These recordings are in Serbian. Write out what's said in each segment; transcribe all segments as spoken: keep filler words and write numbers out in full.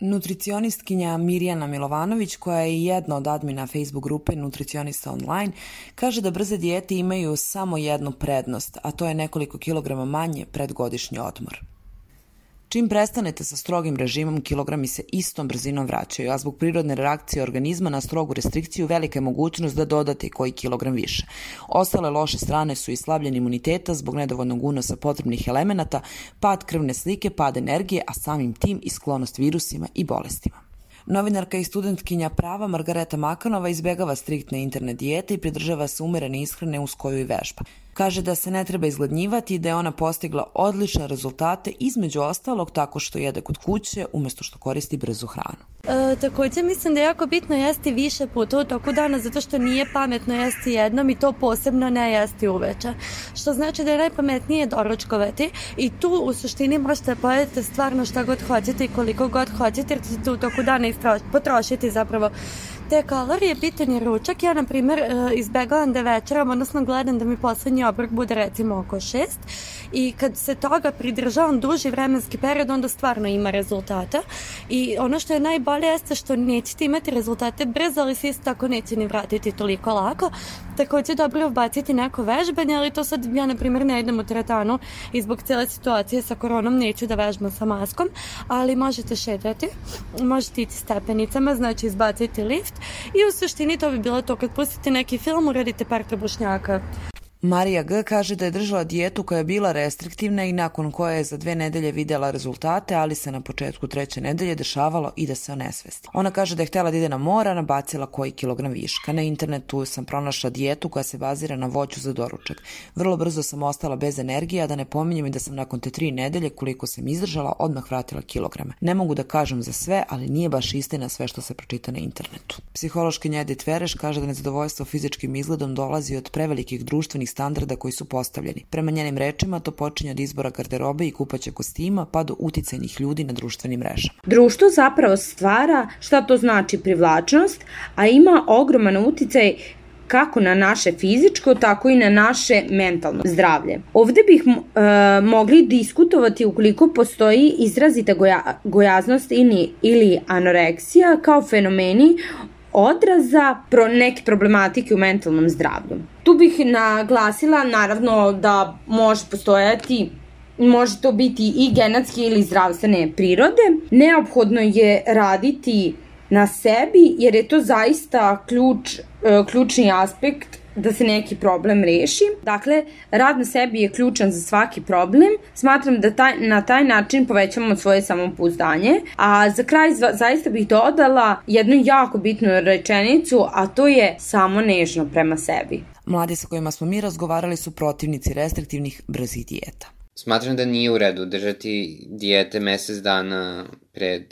Nutricionistkinja Mirjana Milovanović, koja je jedna od admina Facebook grupe Nutricionista online, kaže da brze dijete imaju samo jednu prednost, a to je nekoliko kilograma manje pred godišnji odmor. Čim prestanete sa strogim režimom, kilogrami se istom brzinom vraćaju, a zbog prirodne reakcije organizma na strogu restrikciju velika je mogućnost da dodate koji kilogram više. Ostale loše strane su i slabljen imuniteta zbog nedovoljnog unosa potrebnih elemenata, pad krvne slike, pad energije, a samim tim i sklonost virusima i bolestima. Novinarka i studentkinja prava Margareta Makanova izbegava striktne internet dijete i pridržava se umerene ishrane uz koju i vežba. Kaže da se ne treba izgladnjivati i da je ona postigla odlične rezultate, između ostalog tako što jede kod kuće umjesto što koristi brzu hranu. E, također mislim da je jako bitno jesti više puta u toku dana, zato što nije pametno jesti jednom i to posebno ne jesti uveče. Što znači da je najpametnije doručkovati i tu u suštini možete pojedete stvarno šta god hoćete i koliko god hoćete, jer ćete u toku dana potrošiti zapravo te kalorije. Bitan je ručak. Ja, na primjer, izbegavam da večeram, odnosno gledam da mi poslednji obrok bude recimo oko šest i kad se toga pridržavam duži vremenski period, onda stvarno ima rezultata. I ono što je najbolje jeste što nećete imati rezultate brzo, ali se isto tako neće ni vratiti toliko lako. Također dobro je ubaciti neko vežbanje, ali to sad ja, na primjer, ne idem u teretanu i zbog cijele situacije sa koronom neću da vežbam sa maskom, ali možete šetati, možete ići stepenicama, znači izbaciti lift i u suštini to bi bilo to. Kad pustite neki film, uradite par trbušnjaka. Marija G. kaže da je držala dijetu koja je bila restriktivna i nakon koje je za dve nedelje vidjela rezultate, ali se na početku treće nedelje dešavalo i da se onesvesti. Ona kaže da je htjela da ide na more, a nabacila koji kilogram viška. Na internetu sam pronašla dijetu koja se bazira na voću za doručak. Vrlo brzo sam ostala bez energije, a da ne pominjem i da sam nakon te tri nedelje, koliko sam izdržala, odmah vratila kilograme. Ne mogu da kažem za sve, ali nije baš istina sve što se pročita na internetu. Psihološkinja Edith Vereš kaže da nezadovoljstvo fizičkim izgledom dolazi od prevelikih društvenih standarda koji su postavljeni. Prema njenim rečima to počinje od izbora garderobe i kupaće kostima pa do uticajnih ljudi na društvenim mrežama. Društvo zapravo stvara šta to znači privlačnost, a ima ogroman uticaj kako na naše fizičko, tako i na naše mentalno zdravlje. Ovde bih e, mogli diskutovati ukoliko postoji izrazita goja, gojaznost ili, ili anoreksija kao fenomeni odraza pro neke problematike u mentalnom zdravlju. Tu bih naglasila naravno da može postojati, može to biti i genetske ili zdravstvene prirode. Neophodno je raditi na sebi jer je to zaista ključ, ključni aspekt da se neki problem reši. Dakle, rad na sebi je ključan za svaki problem. Smatram da taj, na taj način povećamo svoje samopouzdanje. A za kraj zva, zaista bih dodala jednu jako bitnu rečenicu, a to je samo nežno prema sebi. Mladi sa kojima smo mi razgovarali su protivnici restriktivnih brzih dijeta. Smatram da nije u redu držati dijete mesec dana pred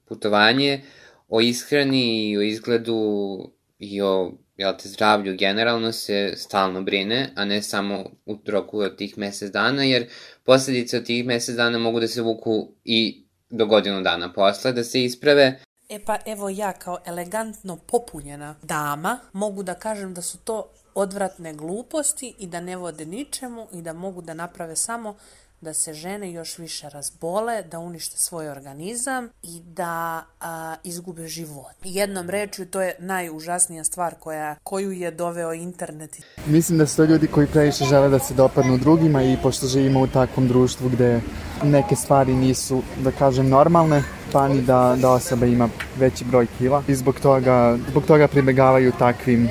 putovanje. O ishrani i o izgledu i o jel te, zdravlju generalno se stalno brine, a ne samo u roku od tih mesec dana, jer posljedice od tih mesec dana mogu da se vuku i do godinu dana posle, da se isprave. E pa evo ja kao elegantno popunjena dama mogu da kažem da su to odvratne gluposti i da ne vode ničemu i da mogu da naprave samo da se žene još više razbole, da unište svoj organizam i da a, izgube život. Jednom rečju, to je najužasnija stvar koja, koju je doveo internet. Mislim da su to ljudi koji previše žele da se dopadnu drugima i pošto živimo u takvom društvu gde neke stvari nisu, da kažem, normalne, pa ni da, da osoba ima veći broj kila i zbog toga, zbog toga pribegavaju takvim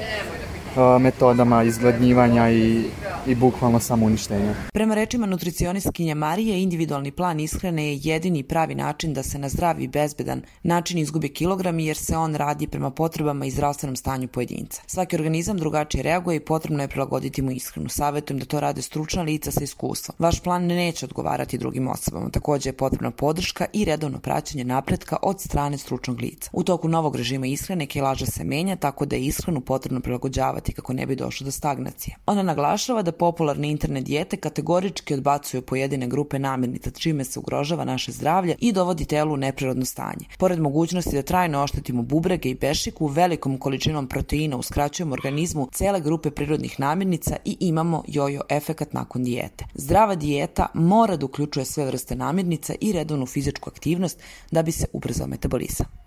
metodama izgladnjivanja i, i bukvalno samouništenja. Prema rečima nutricionistkinje Marije, individualni plan ishrane je jedini pravi način da se na zdrav i bezbedan način izgube kilogrami jer se on radi prema potrebama i zdravstvenom stanju pojedinca. Svaki organizam drugačije reaguje i potrebno je prilagoditi mu ishranu. Savjetujem da to rade stručna lica sa iskustvom. Vaš plan neće odgovarati drugim osobama. Također je potrebna podrška i redovno praćenje napretka od strane stručnog lica. U toku novog režima ishrane kilaža se menja, tako da je ishranu potrebno prilagođavati kako ne bi došlo do stagnacije. Ona naglašava da popularne internet dijete kategorički odbacuju pojedine grupe namirnica, čime se ugrožava naše zdravlje i dovodi telu u neprirodno stanje. Pored mogućnosti da trajno oštetimo bubrege i bešiku, velikom količinom proteina uskraćujemo organizmu cele grupe prirodnih namirnica i imamo jojo efekat nakon dijete. Zdrava dijeta mora da uključuje sve vrste namirnica i redovnu fizičku aktivnost da bi se ubrzao metabolizam.